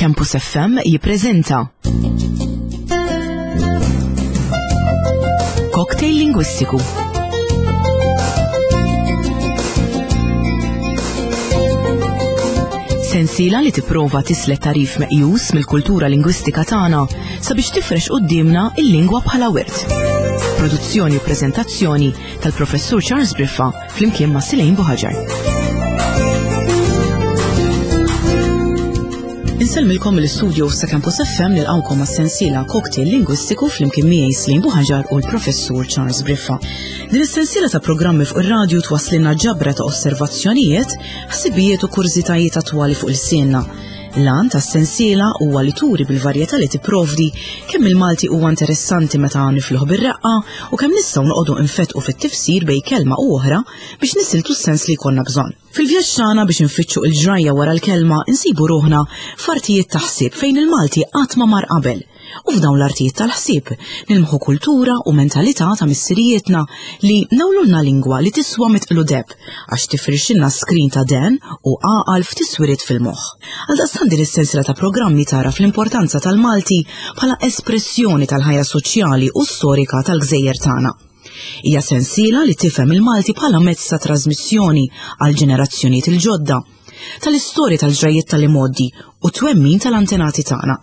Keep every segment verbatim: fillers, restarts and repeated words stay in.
Campus F M jippreżenta Cocktail Lingwistiku. Sensiela li tipprova tislet tarif meqjus mill-kultura lingwistika tagħna sabiex tifrex quddiemna il-lingwa bħala wirt. Produzzjoni u preżentazzjoni tal-Professur Charles Briffa flimkien ma' Silejn Buħaġar. Insellmilkom mill-istudio sa' Campus F M nilqgħukom għas-sensiela Cocktail Lingwistiku flimkien miegħi Silejn Buħaġar u l-Professur Charles Briffa. Din is-sensiela ta' programmi fuq ir-radju twasslilna ġabra ta' osservazzjonijiet, ħsibijiet u kurżitajiet attwali fuq il-sienna. L-għan tas-sensiela huwa li turi bil-varjetà li tipprovdi kemm il-Malti huwa interessanti meta nifluh bir-reqqa u kemm nistgħu noqogħdu nfetqu fit-tifsir bejn kelma u oħra biex nisiltu s-sens li jkollna bżonn. Fil-vjaġġ tagħna biex nfittxu l-ġrajja wara l-kelma insibu ruħna f'artijiet ta' ħsieb fejn il-Malti qatt ma mar qabel. U f'dawn l-artijiet tal-ħsieb nilmħu kultura u mentalità ta' missirijietna li nawlulna lingwa li tiswa mitqlu deb għax tifrixilna skrin ta' den u għaqal f'tiswiriet fil-moħħ. Għaldaqstant din is-sensiela ta' programmi tara fl-importanza tal-Malti bħala espressjoni tal-ħajja soċjali u storika tal-gżejjer tagħna. Hija sensiela li tifhem il-Malti bħala mezz ta' trasmissjoni għal ġenerazzjonijiet il-ġodda, tal-istorja tal-ġrajjiet tal-imgħoddi u twemmin tal-antenati tagħna.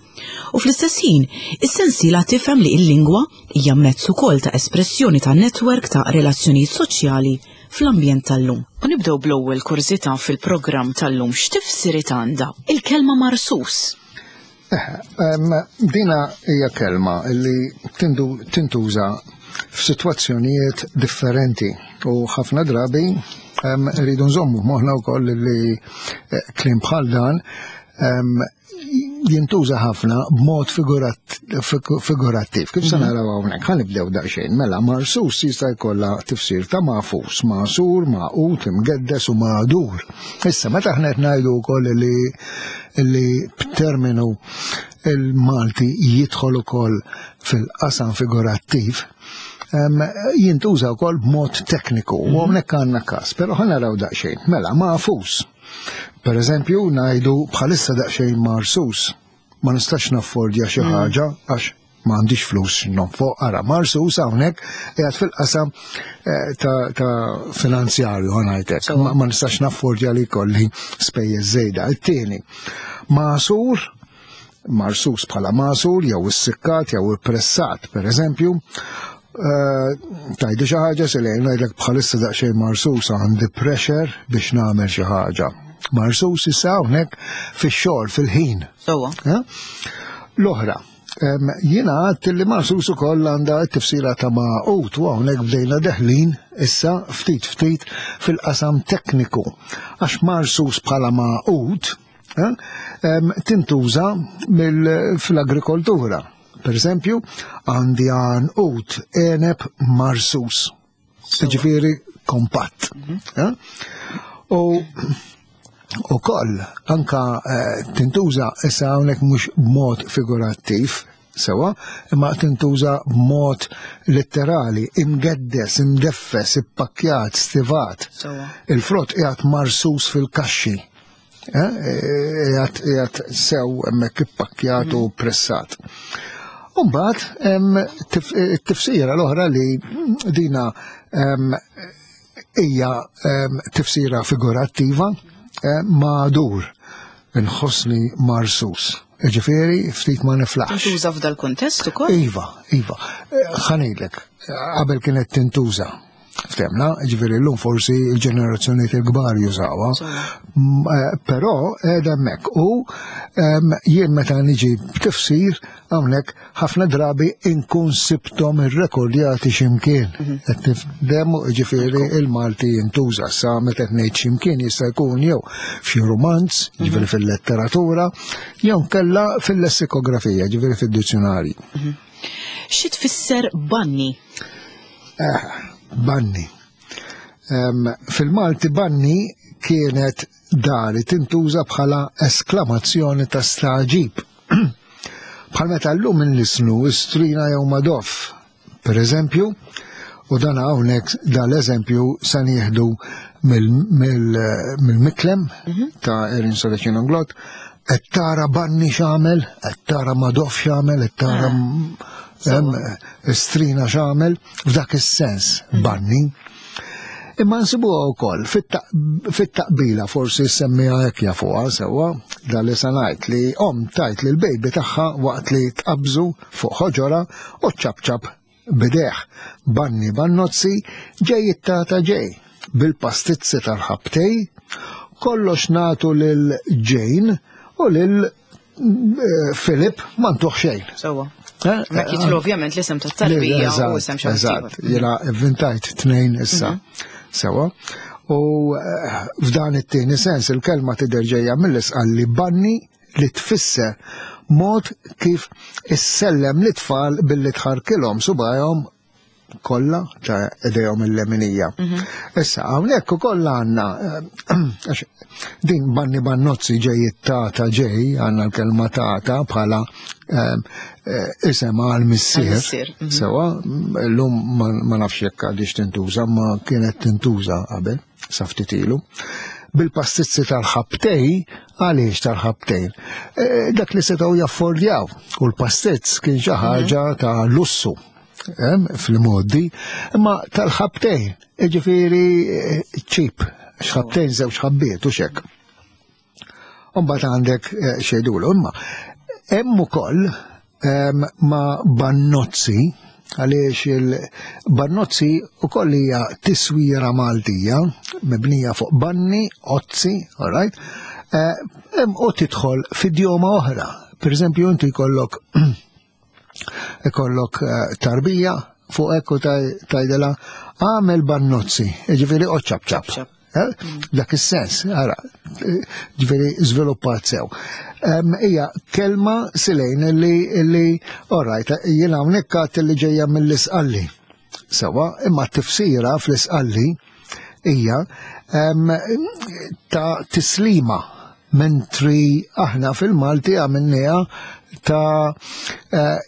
U fl-istess ħin, is-sensiela tifhem li l-lingwa hija mezz ukoll ta' espressjoni ta' netwerk ta' relazzjonijiet soċjali fl-ambjent tal-lum. U nibdew bl-ewwel kurżità fil-programm tal-lum x'tifsiriet għandha il-kelma marsus. Eh, em, dina hija kelma li tindu-, tintuża f'sitwazzjonijiet differenti u ħafna drabi, em, rridu nżommu moħħna wkoll li, eh, kliem bħal dan, em, jintuża ħafna b'mod figurat-, figu-, figurattiv. Kif se Mhm. naraw hawnhekk? Ħa nibdew daqsxejn. Mela, marsus jista' jkollha tifsir ta' mafus, masur, maqut, imgeddes u magħdur. Issa, meta aħna qed ngħidu wkoll li, li b'terminu il-Malti jidħol ukoll fil-qasam figurattiv, em, jintuża wkoll b'mod tekniku, u Mhm. hawnhekk għandna każ, però ħa naraw daqsxejn. Mela, mafus. Per eżempju, ngħidu bħalissa daqsxejn marsus. Ma nistax naffordja xi Mm. ħaġa għax ma għandix flus nonfoq. Ara, marsus hawnhekk qiegħed fil-qasam, eh, ta', ta' finanzjarju, ħa ngħidlek. Sewwa. Ma, ma nistax naffordja li jkolli spejjeż żejda. It-tieni, masur, marsus bħala masur, jew issikkat, jew ippressat, per eżempju. Eh, tajdi xi ħaġa se lejn ngħidlek bħalissa daqsxejn marsus għandi pressure biex nagħmel xi ħaġa. Marsus issa hawnhekk fix-xogħol fil-ħin. Sewwa. Eh? L-oħra, em, jiena għedt li marsus ukoll għandha t-tifsira ta' maqut u hawnhekk bdejna deħlin issa ftit ftit fil-qasam tekniku. Għax marsus bħala maqut, eh, em, tintuża mill-, fl-agrikoltura. Per eżempju, għandi għanqut eneb marsus. Sewwa. Ġifieri kompatt. Mhm. Eh? U u koll, anka, eh, tintuża issa hawnhekk mhux b'mod figurattiv, sewa, imma tintuża b'mod letterali, imgeddes, imdeffes, ippakkjat, stivat. Sewwa. Il-frott qiegħed marsus fil-kaxxi. Eh, qiegħed, qiegħed sew hemmhekk ippakkjat u Mhm. pressat. U mbagħad hemm tif-, it-tifsira l-oħra li dina, em, hija, em, tifsira figurattiva, eh, magħdur, inħossni marsus. Ġifieri ftit ma niflaħx. Tintuża f'dal kuntest ukoll? Iva, iva. Eh, ħa ngħidlek, qabel kienet tintuża. Ftemna, ġifieri llum forsi l-ġenerazzjonijiet il-kbar jużawha. Sewwa. M-, eh, però qiegħda hemmhekk. U, em, jien meta niġi b'tifsir hawnhekk ħafna drabi inkun sibthom irrekordjati x'imkien. Mhm. Qed nifdem, ġifieri Ekku. il-Malti jintuża sa meta qed ngħid x'imkien jista' jkun jew f'xi romanz, Mhm. ġifieri fil-letteratura, jew nkella fil-lessikografija, ġifieri fid-dizzjonarji. Mhm. Xi tfisser banni? Eh, banni. Em, fil-Malti banni kienet dari tintuża bħala esklamazzjoni ta' staġib. Bħal meta llum inlisnu strina jew madoff, per eżempju, u dan hawnhekk dal-eżempju se nieħdu mill-, mill-, mill-Miklem Mhm. ta' Erin Serracino Inglott, Qed tara Banni x'għamel, qed tara Madoff x'għamel, qed tara ah. Strina x'għamel, f'dak is-sens Banni. Imma nsibuha wkoll fit-taqbila, forsi semmiha hekk jafuha sewwa, dan li se ngħid li omm tajt lil baby tagħha waqt li tqabżu fuq ħoġora u ċapċap b'idejh. Banni bannozzi ġej it-tata ġej bil-pastizzi tal-ħabtej, kollox nagħtu lil Jane u lil eh, Philip ma ntuh xejn. Sewwa. Eh, Ma jitlu ovvjament l-isem tat-tarbija u isem xi Eżatt, jiena inventajt tnejn issa. Mhm. Sewwa. U eh, f'dan it-tieni sens il-kelma tidher ġejja mill-Isqalli banni li tfisser mod kif issellem l-tfal billi tħarkilhom subajhom kollha ta' idejhom il-leminija. Mhm. Issa hawnhekk ukoll għandna eh, din banni bannozzi ġej tata ġej, għandna l-kelma tata bħala eh, eh, isem għal missier. Mhm. Sewwa, llum ma nafx jekk għadix tintuża, ma kienet tintuża qabel, sa ftit ilu. Bil-pastizzi tal-ħabtej, għaliex tal-ħabtejn? Dak li setgħu jaffordjaw u l-pastizz kien xi mhm. ħaġa ta' lussu fil-modi, imma tal-ħabtejn, ġifieri cheap, xħabtejn żewġ ħabbiet u xek. Umbagħad għandek eh, xejdulu, imma hemm ukoll ma' bannozzi, għaliex il-bannozzi ukoll hija tiswira Maltija, mibnija fuq banni, ozzi, all right, eh, u tidħol f'idjoma oħra. Per eżempju, inti jkollok ikollok eh, tarbija fuq ekku tgħidilha għamel bannozzi, ġifieri oċċab ċap. Eh? Dak is-sens, ara, ġifieri żviluppat sew. Hija kelma silejn li li alright, jiena hawnhekk għadt li ġejja mill-Isqalli. Sewwa, imma t-tifsira fl-Isqalli hija ta' tislima, mentri aħna fil-Malti għamilniha ta'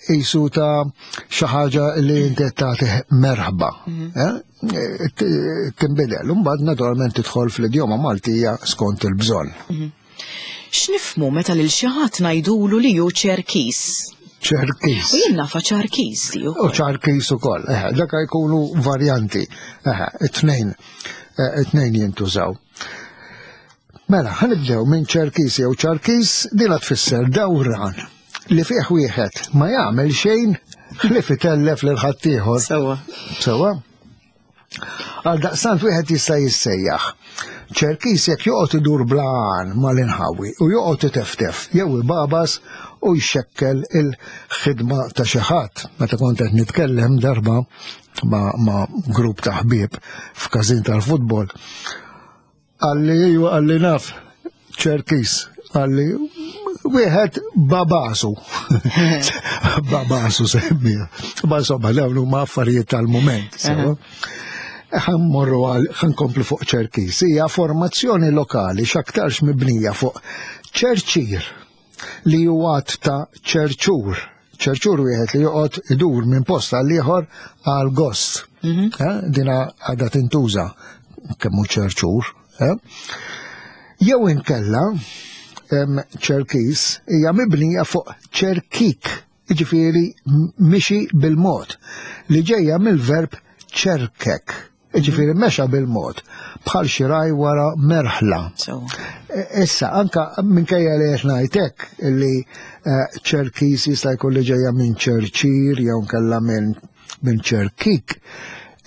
jisu eh, ta' xi ħaġa li inti tagħti merħba. Mhm. Eh? Tinbidel, imbagħad naturalment tidħol fl-idjoma Maltija skont il-bżonn. Mhm. X'nifhmu meta lil xi ħadd ngħidulu li hu ċerkis? Ċerkis. U jien nafha ċarkis di U ċarkis ukoll, eh, dak jkunu varjanti, eh, it-tnejn, it-tnejn jintużaw. Mela, ħa nibdew minn ċerkis jew ċarkis, dina tfisser dawran li fih wieħed ma jagħmel xejn ħlief itellef lil ħaddieħor. Sewwa. Sewwa. Għal daqstant wieħed jista' jissejjaħ. Ċerkis jekk joqgħod idur bla għan mal-inħawi u joqgħod iteftef jew ibabas u jxekkel il-ħidma ta' xi ħadd. Meta kont qed nitkellem darba ma', ma grupp ta' ħbieb f'każin tal-futbol, qalli iju, qalli naf, ċerkis, qalli wieħed babasu. Babasu semmija. Ma insomma, dawn huma affarijiet tal-mument. Sewwa. Ħa mmorru għal, ħa nkomplu fuq ċerkis. Hija formazzjoni lokali x'aktarx mibnija fuq ċerċir li huwa ta' ċerċur. Ċerċur wieħed li joqgħod idur minn post għal ieħor għal gost. Mhm. Eh, dina għadha tintuża kemm hu ċerċur. Eh? Jew inkella ċerkis hija mibnija fuq ċerkik, jiġifieri mixi bil-mod, li ġejja mill-verb ċerkek, jiġifieri mexa bil-mod, bħal xi raj wara merħla. E, issa, anka minkejja li qed ngħidlek li eh, ċerkis jista' jkun li ġejja minn ċerċir jew nkella minn minn ċerkik,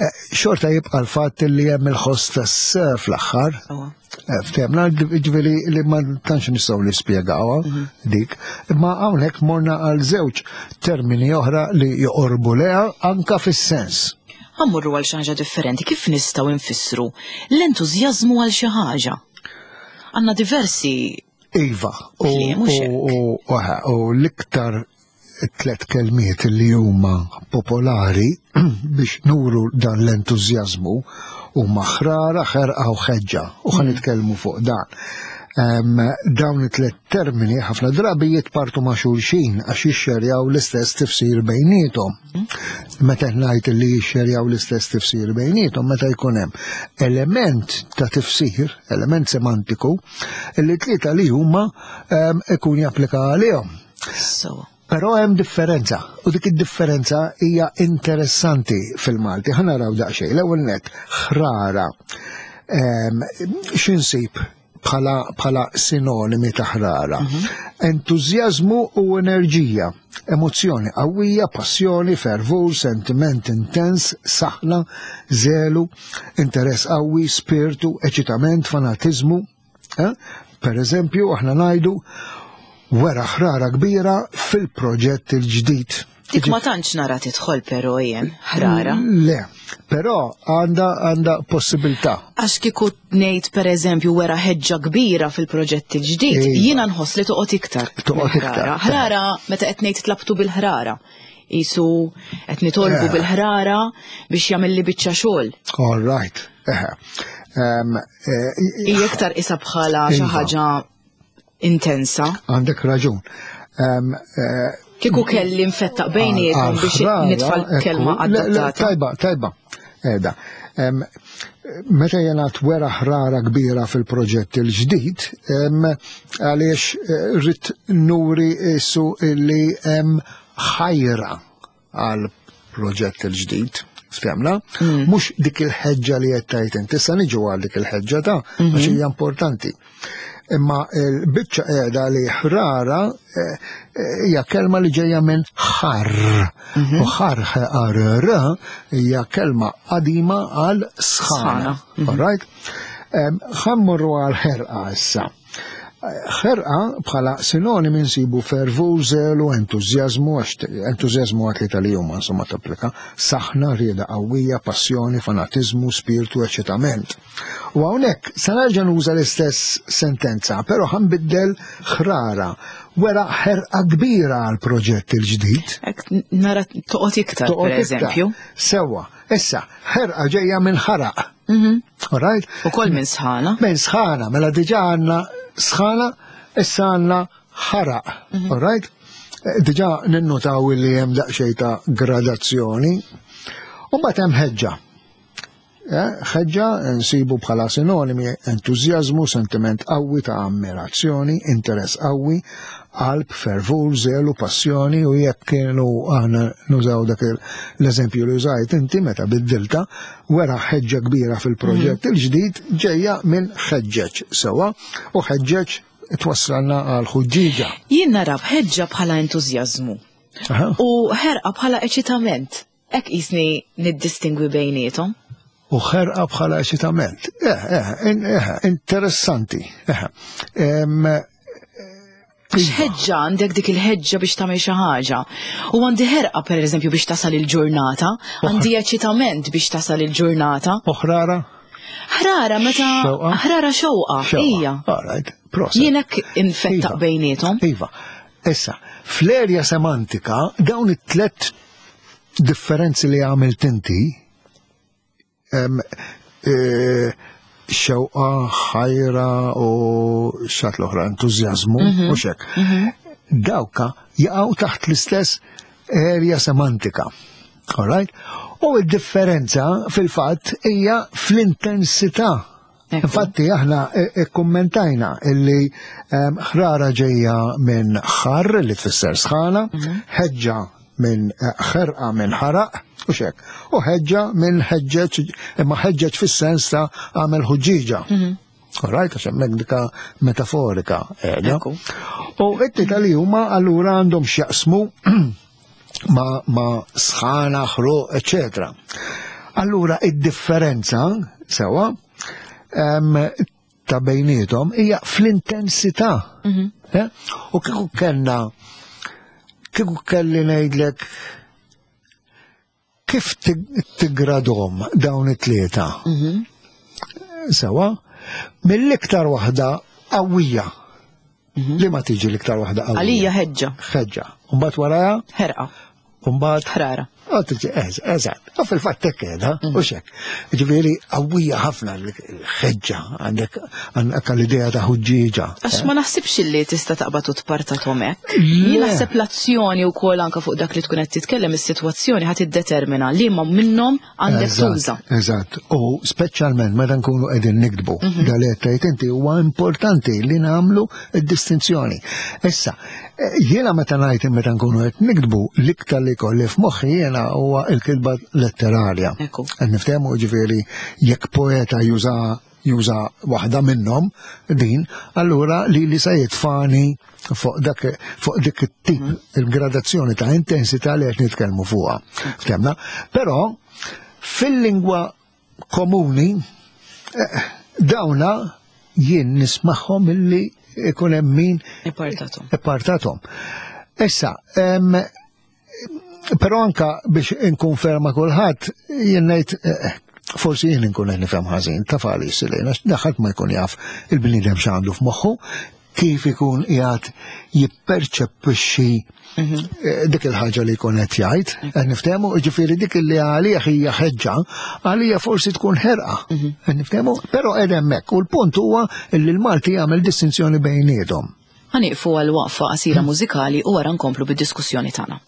eh, xorta jibqa' l-fatt li hemm il-ħoss tas fl-aħħar. Eh, Ftehmna, ġifieri li ma tantx nistgħu nispjegawha mhm. dik, imma hawnhekk morna għal żewġ termini oħra li joqorbu leha anka fis-sens. Ħa mmorru għal xi ħaġa differenti, kif nistgħu nfissru l-entużjażmu għal xi ħaġa? Għandna diversi Iva, u u l-iktar tlet kelmiet li huma popolari biex nuru dan l-entużjażmu huma ħrara, ħerqa u ħeġġa, u ħa nitkellmu fuq dan. Dawn it-tliet termini ħafna drabi jitpartu ma' xulxin għax jixxerjaw l-istess tifsir bejniethom. Meta ngħid li jixxerjaw l-istess tifsir bejniethom, meta jkun hemm element ta' tifsir, element semantiku, li tlieta li huma ikun japplika għalihom. Però hemm differenza, u dik id-differenza hija interessanti fil-Malti. Ħa naraw daqsxejn. L-ewwel nett, ħrara. X'insib bħala bħala sinonimi ta' ħrara? Entużjażmu u enerġija, emozzjoni qawwija, passjoni, fervur, sentiment intens, saħna, zelu, interess qawwi, spiritu, eċitament, fanatizmu. Eh? Per eżempju, aħna ngħidu wera ħrara kbira fil-proġett il-ġdid. Dik ma tantx nara tidħol però jien, ħrara. Le, però għandha għandha possibilità. Għax kieku ngħid pereżempju wera ħeġġa kbira fil-proġett il-ġdid, Iva. jiena nħoss li toqgħod iktar. Toqgħod iktar. Ħrara meta qed ngħid tlabtu bil-ħrara. Isu qed nitolbu Eh. bil-ħrara biex jagħmel li biċċa xogħol. All right. Eħe. Em, eh, Hija iktar isa bħala xi Iva. ħaġa intensa. Għandek raġun. Em, eh, Kieku kelli nfettaq bejniethom biex għal-ħrara, nitfa' l-kelma ekku, le, le, adattata. Tajba, tajba. Eda. Em, Meta jena wera ħrara kbira fil-proġett il-ġdid, em, għaliex eh, rrid nuri issu illi hemm ħajra għal proġett il-ġdid. Ftemna? Mhux dik il-ħeġġa li qed tgħid inti, issa niġu għal dik il-ħeġġa ta' għax hija importanti. Imma l-biċċa qiegħda li ħrara eh, eh, hija kelma li ġejja minn ħar. U ħar ħar hija kelma qadima għal sħana. Sħana. All right? Em, Ħa mmorru għal ħerqa issa. Ħerqa bħala sinonimi nsibu fervur, zelu, entużjażmu, għax entużjażmu għat li tal-jum insomma tapplika, saħna, rieda qawwija, passjoni, fanatizmu, spiritu, eċitament. U hawnhekk se nerġa' nuża l-istess sentenza, però ħa nbiddel ħrara, wera ħerqa kbira għal proġett il-ġdid. Hekk nara toqgħod iktar Toqgħod per iktar. eżempju. Sewwa, issa, ħerqa ġejja minn ħaraq. All right? Ukoll minn sħana. Minn sħana, mela diġà għandna sħana, issa għandna ħaraq. All right? Eh, Diġà ninnotaw li hemm daqsxejn ta' gradazzjoni. U mbagħad hemm ħeġġa. Eh, Ħeġġa nsibu bħala sinonimi entużjażmu, sentiment qawwi ta' ammirazzjoni, interess qawwi, qalb, fervur, zelu, passjoni, u jekk kienu aħna nużaw dak il- l-eżempju li użajt inti meta biddilta, wera ħeġġa kbira fil-proġett il-ġdid ġejja minn ħeġġeġ sewwa, u ħeġġeġ twassalna għal ħuġġiġa. Jien nara b'ħeġġa bħala entużjażmu Aha. u ħerqa bħala eċitament. Hekk qisni niddistingwi bejniethom. U ħerqa bħala eċitament. Eh, eh, in- eh, interessanti. Eh, Em, Għax ħeġġa għandek dik il-ħeġġa biex tagħmel xi ħaġa. U għandi ħerqa pereżempju biex tasal il-ġurnata, għandi eċitament biex tasal il-ġurnata. U ħrara? Ħrara meta Xewqa? ħrara xewqa, Xewqa. hija. All right, proset. Jien hekk infettaq Iva. bejniethom. Iva. Issa, fl-erja semantika, dawn it-tlet differenzi li għamilt inti, em, e, xewqa, ħajra u xat l-oħra, entużjażmu, u xek. Dawka jaqgħu taħt l-istess erja semantika. All right? U id-differenza fil-fatt hija fl-intensità. Ekku. Infatti aħna ikkummentajna illi em, ħrara ġejja minn ħar li tfisser sħana, ħeġġa minn eh, ħerqa minn ħaraq u xek. U ħeġġa minn ħeġġeġ, imma ħeġġeġ fis-sens ta' għamel ħuġġiġa. All right, għax hemmhekk dika metaforika qiegħda. Ekku. U it-tita li huma allura għandhom x'jaqsmu ma, ma sħana, ħruq, eccetera. Allura id-differenza sewa em, ta' bejnietom hija fl-intensità. Eh? U kieku kellna kieku kelli ngħidlek kif tig- tigradhom dawn it-tlieta. Sewa, mill-iktar waħda qawwija. Li ma tiġi l-iktar waħda qawwija? Għalija ħeġġa, Ħeġġa. Umbagħad warajha, ħerqa, umbagħad ħrara. Eżatt, u fil-fatt hekk qiegħda, u xek. Ġifieri qawwija ħafna l-ħeġġa għandek għandek l-idea ta' ħuġġieġa. Għax ma naħsibx li tista' taqbad u tpartathom hekk. Jien naħseb l-azzjoni wkoll anke fuq dak li tkun qed titkellem is-sitwazzjoni ħadd iddetermina liema minnhom għandek tuża. Eżatt, u speċjalment meta nkunu qegħdin niktbu dal qed tgħid inti huwa importanti li nagħmlu d-distinzjoni. Issa, jiena meta ngħid meta nkunu qed niktbu l-iktar li jkolli f'moħħi jiena huwa l-kitba letterarja. Qed niftehmu ġifieri jekk poeta juża juża waħda minnhom din, allura li li se jitfani fuq dak fuq dik it-tip il-gradazzjoni ta' intensità li qed nitkellmu fuqha. Ftemna? Però fil-lingwa komuni dawna jien nismagħhom illi ikun hemm min ipartathom. Ipartathom. Issa, però anka biex inkonferma kulħadd, jien ngħid forsi jien inkun qed nifhem ħażin, taf għaliex Selena, ħadd ma jkun jaf il-bniedem x'għandu f'moħħu, kif ikun qiegħed jipperċepixxi dik il-ħaġa li jkun qed jgħid, qed niftehmu, jiġifieri dik li għalih hija ħeġġa, għalija forsi tkun ħerqa, qed niftehmu, però qed hemmhekk u l-punt huwa li l-Malti jagħmel distinzjoni bejniethom. Ħanieqfu għal waqfa qasira mużikali u wara nkomplu bid-diskussjoni tagħna.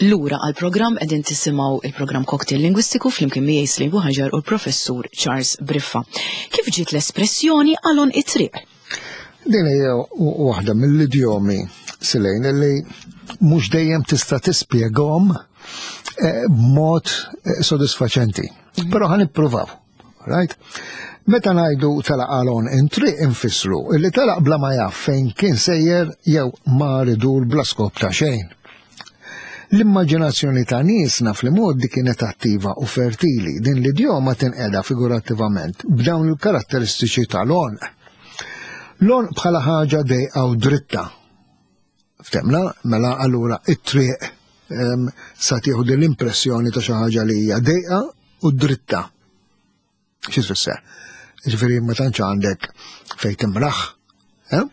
Lura għal-programm qegħdin tisimgħu il-programm Cocktail Lingwistiku flimkien miegħi Slim Buħaġar u l-professur Charles Briffa. Kif ġiet l-espressjoni għal għonq it-triq? Din hija waħda mill-idjomi, Silejn, li mhux dejjem tista' tispjegahom eh, b'mod eh, sodisfaċenti. Mhm. Però ħa nippruvaw. Right? Meta ngħidu telaq għal għonq it-triq, infissru illi telaq bla ma jaf fejn kien sejjer jew mar idur bla skop ta' xejn. L-immaġinazzjoni ta' niesna fl-modi kienet attiva u fertili. Din l-idjoma tinqeda figurattivament b'dawn il-karatteristiċi tal-għonq. L-għonq bħala ħaġa dejqa u dritta. Ftemna, mela allura it-triq sa tieħu din l-impressjoni ta' xi ħaġa li hija dejqa u dritta. Xi tfisser? Ġifieri ma tantx għandek fejn timraħ. Eh?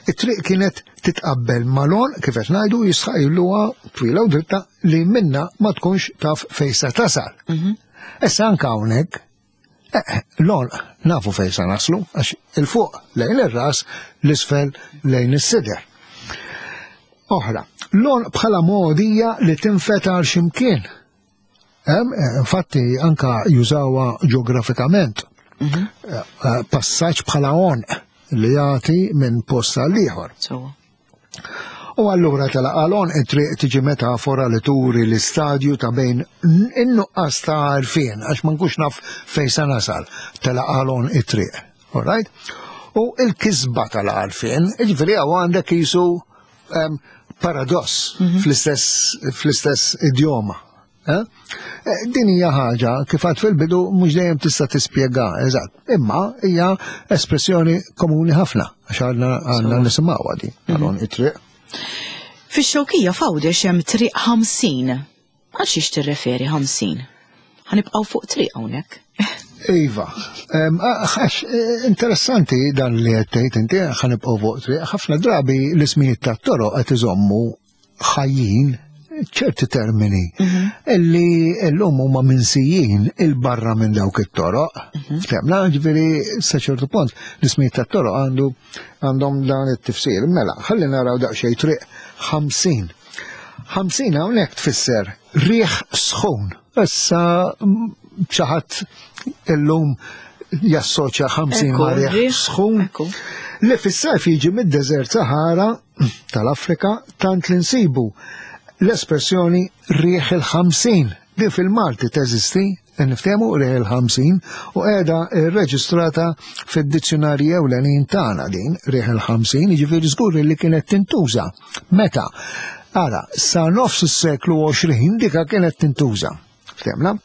It-triq kienet titqabbel mal-għonq, kif qed ngħidu, jistħajluha twila u dritta li minna ma tkunx taf fejn sa tasal. Mhm. Issa anke hawnhekk eh, l-għonq nafu fejn sa naslu, għax il-fuq lejn ir-ras, l-isfel lejn is-sider. Oħra, l-għonq bħala mogħdija li tinfet għal ximkien. Eh, infatti anka jużawha ġeografikament. Mhm. Eh, passaġġ bħala għonq li jagħti minn post għal ieħor. U allura telaq għal għonq it-triq tiġi metafora li turi l-istadju ta' bejn in-nuqqas ta' għarfien, għax ma nkunx naf fejn sa nasal, telaq għal għonq it-triq. All right? U il-kisba tal-għarfien, ġifieri hawn għandek jisu um, paradoss mm -hmm. fl-istess idjoma. Eh? eh? Din hija ħaġa kif għad fil-bidu mhux dejjem tista' tispjega eżatt, imma hija espressjoni komuni ħafna għax għandna għandna nisimgħuha di għal għonq it-triq. Fix-Xewkija f'Għawdex hemm triq ħamsin. Għal xiex tirreferi ħamsin? Ħa nibqgħu fuq triq hawnhekk. Iva, għax eh, interessanti dan li qed tgħid inti, ħa nibqgħu fuq triq. Ħafna drabi l-ismijiet tat-toroq qed iżommu ħajjin ċerti termini mhm. illi l-lum huma minsijin il-barra minn dawk it-toroq. Mhm. Ftemna, ġifieri sa ċertu punt l-ismijiet tat-toroq għandu għandhom dan it-tifsir. Mela, ħalli naraw daqsxejn triq ħamsin. ħamsin hawnhekk tfisser riħ sħun. Issa xi ħadd illum jassoċja ħamsin ma' riħ sħun li fis-sajf jiġi mid-deżert Sahara tal-Afrika, tant li nsibu l-espressjoni riħ il-ħamsin. Din fil-Malti teżisti, niftehmu, riħ il-ħamsin, u qiegħda reġistrata fid-dizzjonarji ewlenin tagħna din riħ il-ħamsin, jiġifieri żgur li kienet tintuża. Meta? Ara, sa nofs is-seklu għoxrin dika kienet tintuża. Ftemna?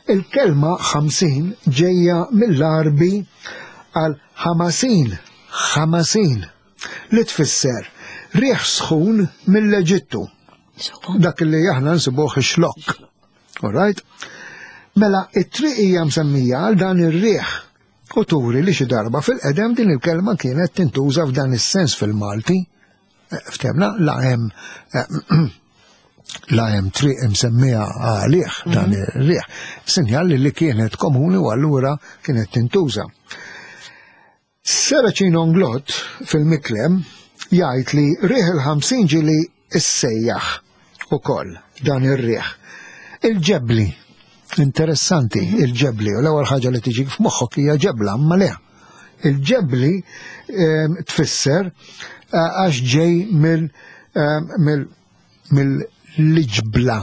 Il-kelma ħamsin ġejja mill-Arbi għal ħamasin, ħamasin, li tfisser riħ sħun mill-Eġittu. Dak li aħna nsibuh ix-Xlokk. All right? Mela, it-triq hija msemmija għal dan ir-riħ u turi li xi darba fil-qedem din il-kelma kienet tintuża f'dan is-sens fil-Malti. Eh, ftemna, la hemm eh, la hemm triq imsemmija għalih dan mhm. ir-riħ. Sinjal li kienet komuni u allura kienet tintuża. Serracino Inglott fil-Miklem jgħid li riħ il-ħamsin ġili issejjaħ ukoll dan ir-riħ. Il-ġebli, interessanti, il-ġebli, u l-ewwel ħaġa li tiġi f'moħħok hija ġebla, imma le. Il-ġebli ehm, tfisser eh, għax ġej mill ehm, mill-ġbla.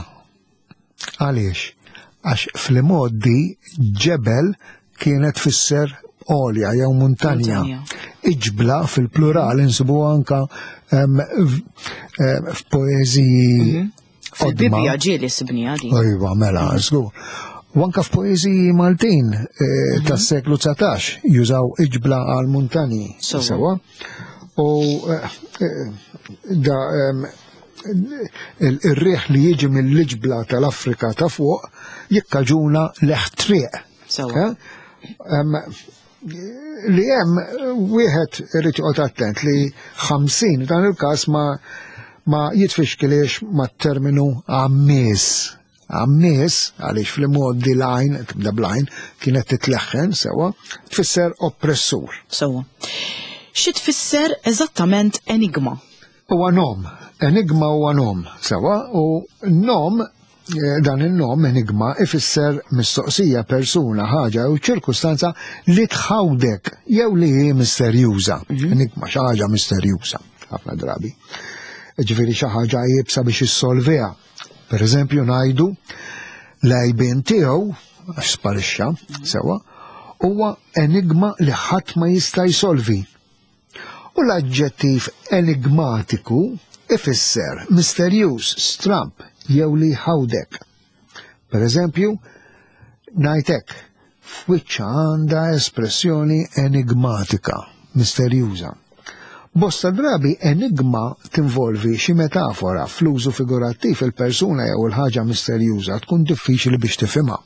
Għaliex? Għax fl-modi ġebel kienet tfisser għolja jew muntanja. Iġbla fil-plural insibu anka f'poeżiji. Mhm. Fil-Bibbja ġieli sibniha di. Iva, mela, żgur. U anka f'poeżiji Maltin eh, mhm. tas-seklu dsatax jużaw iġbla għal muntanji. Sewa. U eh, eh, da il-riħ li jiġi mill-iġbla tal-Afrika ta' fuq jikkaġuna leħtriq. Sewa. Li hemm wieħed irid joqgħod attent li ħamsin dan il-każ ma ma jitfixkilix mat-terminu għammies. Għammies, għaliex fl-modi l-għajn, tibda bl-għajn, kienet titleħħen sewa, tfisser oppressur. Sewa. Xi tfisser eżattament enigma? Huwa nom, Enigma huwa nom, sewa, u nom, dan il-nom enigma ifisser mistoqsija, persuna, ħaġa u ċirkustanza li tħawdek jew li hi misterjuża. Enigma xi ħaġa misterjuża, ħafna drabi. Ġifieri xi ħaġa iebsa biex issolviha. Per eżempju ngħidu l-għajbien tiegħu, għax sparixxa, sewa, huwa enigma li ħadd ma jista' jsolvi. U l-aġġettiv enigmatiku ifisser misterjuż, stramp, jew li ħawdek. Per eżempju, ngħidlek, f'wiċċha għandha espressjoni enigmatika, misterjuża. Bosta drabi enigma tinvolvi xi metafora fl-użu figurattiv il-persuna jew il-ħaġa misterjuża tkun diffiċli biex tifhimha.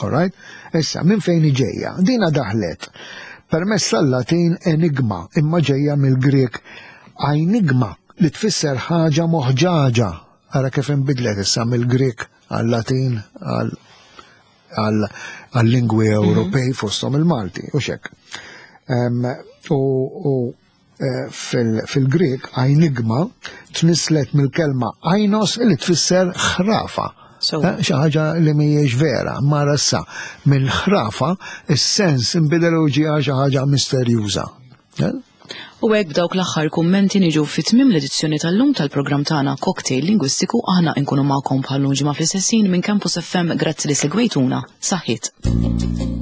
Alright? Issa, minn fejn ġejja? Dina daħlet permezz tal-Latin enigma, imma ġejja mill-Grek enigma li tfisser ħaġa moħġaġa. Ara kif inbidlet issa mill-Grek għal-Latin għal-lingwi Ewropej fosthom il-Malti, u xek. U fil-Grek enigma tnislet mill-kelma ainos li tfisser ħrafa. Xi ħaġa li mhijiex vera, ma issa minn ħrafa is-sens inbidel u ġie xi ħaġa misterjuża. U hekk b'dawk l-aħħar kummenti niġu fi tmiem l-edizzjoni tal-lum tal-programm tagħna Cocktail Lingwistiku. Aħna nkunu magħkom bħal ġimgħa fl-istess minn Campus F M. Grazzi li segwejtuna. Saħħit. Thank you.